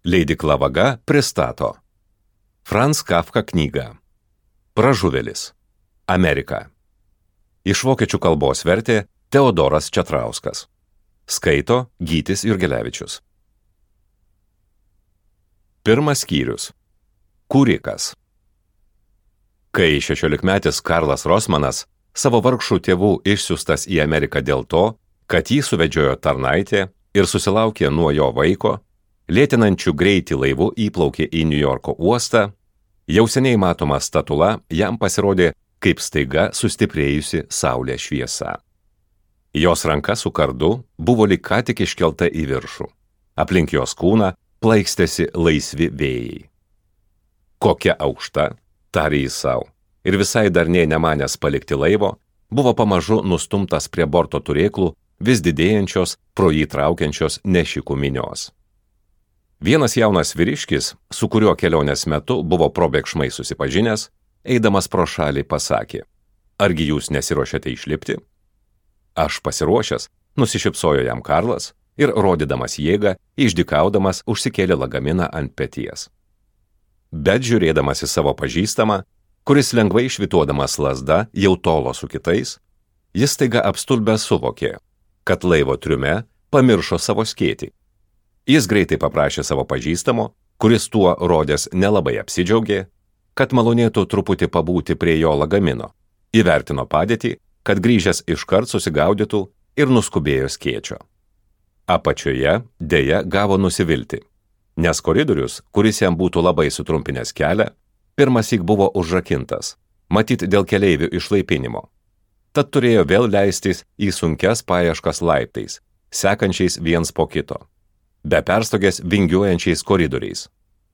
Leidykla Vaga pristato Franz Kafka knygą Pražuvėlis. Amerika. Iš vokiečių kalbos vertė Teodoras Četrauskas. Skaito Gytis Jurgelevičius. Pirmas skyrius. Kūrikas. Kai 16-metis Karlas Rosmanas, savo vargšų tėvų išsiųstas į Ameriką dėl to, kad jį suvedžiojo tarnaitė ir susilaukė nuo jo vaiko, lėtinančių greitį laivu įplaukė į Niujorko uostą, jau seniai matoma statula jam pasirodė kaip staiga sustiprėjusi saulės šviesa. Jos ranka su kardu buvo lyg ką tik iškelta į viršų. Aplink jos kūną plaikstėsi laisvi vėjai. Kokia aukšta, tarė jis sau, ir visai dar nė nemanęs palikti laivo, buvo pamažu nustumtas prie borto turėklų vis didėjančios, pro jį traukiančios nešikų minios. Vienas jaunas vyriškis, su kuriuo kelionės metu buvo probėgšmai susipažinęs, eidamas pro šalį pasakė: argi jūs nesiruošiate išlipti? Aš pasiruošęs, nusišypsojo jam Karlas ir, rodydamas jėgą, išdykaudamas užsikėlė lagaminą ant peties. Bet žiūrėdamas į savo pažįstamą, kuris lengvai švytuodamas lazda jau tolo su kitais, jis staiga apstulbęs suvokė, kad laivo triume pamiršo savo skėtį. Jis greitai paprašė savo pažįstamo, kuris tuo rodęs nelabai apsidžiaugė, kad malonėtų truputį pabūti prie jo lagamino, įvertino padėtį, kad grįžęs iškart susigaudytų ir nuskubėjo skėčio. Apačioje deja gavo nusivilti, nes koridorius, kuris jam būtų labai sutrumpinęs kelią, pirmąsyk buvo užrakintas, matyt dėl keleivių išlaipinimo. Tad turėjo vėl leistis į sunkias paieškas laiptais, sekančiais viens po kito, be perstogės vingiuojančiais koridoriais.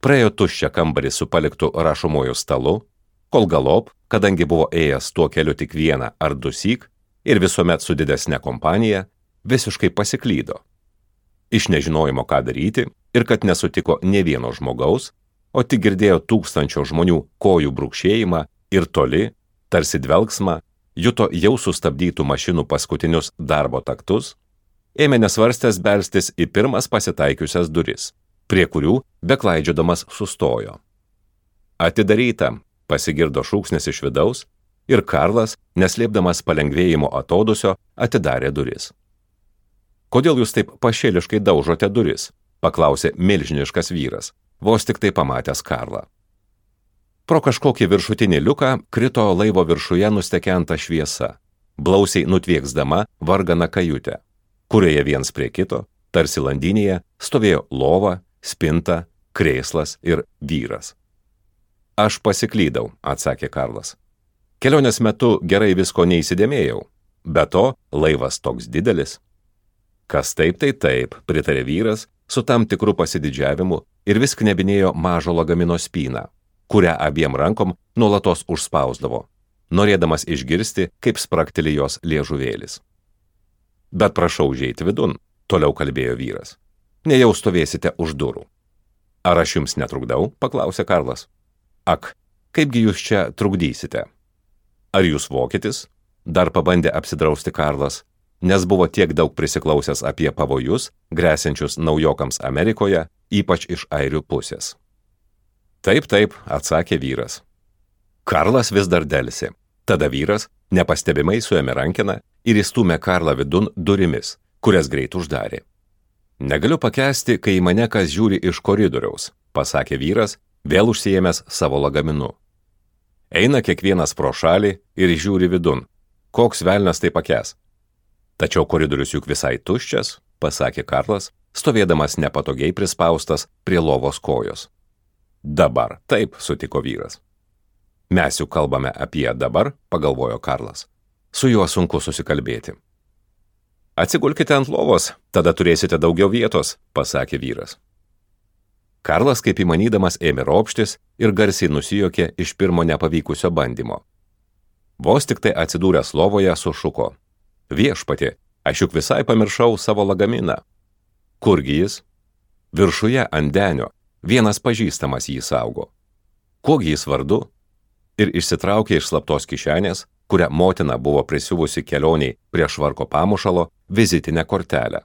Praėjo tuščią kambarį su paliktu rašomuoju stalu, kol galop, kadangi buvo ėjęs tuo keliu tik vieną ar dusyk ir visuomet su didesne kompanija, visiškai pasiklydo. Iš nežinojimo, ką daryti ir kad nesutiko nė vieno žmogaus, o tik girdėjo tūkstančio žmonių kojų brūkšėjimą ir toli, tarsi dvelksmą, juto jau sustabdytų mašinų paskutinius darbo taktus, ėmė nesvarstęs belstis į pirmas pasitaikiusias duris, prie kurių beklaidžiodamas sustojo. Atidaryta, pasigirdo šūksnis iš vidaus ir Karlas, neslėpdamas palengvėjimo atodusio, atidarė duris. Kodėl jūs taip pašėliškai daužote duris? Paklausė milžiniškas vyras, vos tik tai pamatęs Karlą. Pro kažkokį viršutinį liuką krito laivo viršuje nustekenta šviesa, blausiai nutvieksdama varganą kajutę, kurioje viens prie kito, tarsi landynėje, stovėjo lova, spinta, krėslas ir vyras. Aš pasiklydau, atsakė Karlas. Kelionės metu gerai visko neįsidėmėjau, be to laivas toks didelis. Kas taip, tai taip, pritarė vyras su tam tikru pasididžiavimu ir vis knebinėjo mažo lagamino spyną, kurią abiem rankom nuolatos užspausdavo, norėdamas išgirsti, kaip sprakteli jos liežuvėlis. Bet prašau užeiti vidun, toliau kalbėjo vyras. Nejau stovėsite už durų. Ar aš jums netrukdau? Paklausė Karlas. Ak, kaipgi jūs čia trukdysite? Ar jūs vokietis? Dar pabandė apsidrausti Karlas, nes buvo tiek daug prisiklausęs apie pavojus, gresiančius naujokams Amerikoje, ypač iš airių pusės. Taip, atsakė vyras. Karlas vis dar delsė. Tada vyras nepastebimai suėmė rankeną ir įstūmė Karlą vidun durimis, kurias greit uždarė. Negaliu pakęsti, kai į mane kas žiūri iš koridoriaus, pasakė vyras, vėl užsiėmęs savo lagaminu. Eina kiekvienas pro šalį ir žiūri vidun. Koks velnias tai pakęs? Tačiau koridorius juk visai tuščias, pasakė Karlas, stovėdamas nepatogiai prispaustas prie lovos kojos. Dabar, taip, sutiko vyras. Mes juk kalbame apie dabar, pagalvojo Karlas. Su juo sunku susikalbėti. Atsigulkite ant lovos, tada turėsite daugiau vietos, pasakė vyras. Karlas, kaip įmanydamas, ėmė ropštis ir garsiai nusijuokė iš pirmo nepavykusio bandymo. Vos tik tai atsidūręs lovoje sušuko. Viešpatie, aš juk visai pamiršau savo lagaminą. Kurgi jis? Viršuje ant denio. Vienas pažįstamas jį saugo. Kuogi jis vardu? Ir išsitraukė iš slaptos kišenės, kurią motina buvo prisiuvusi kelioniai prie švarko pamušalo, vizitinę kortelę.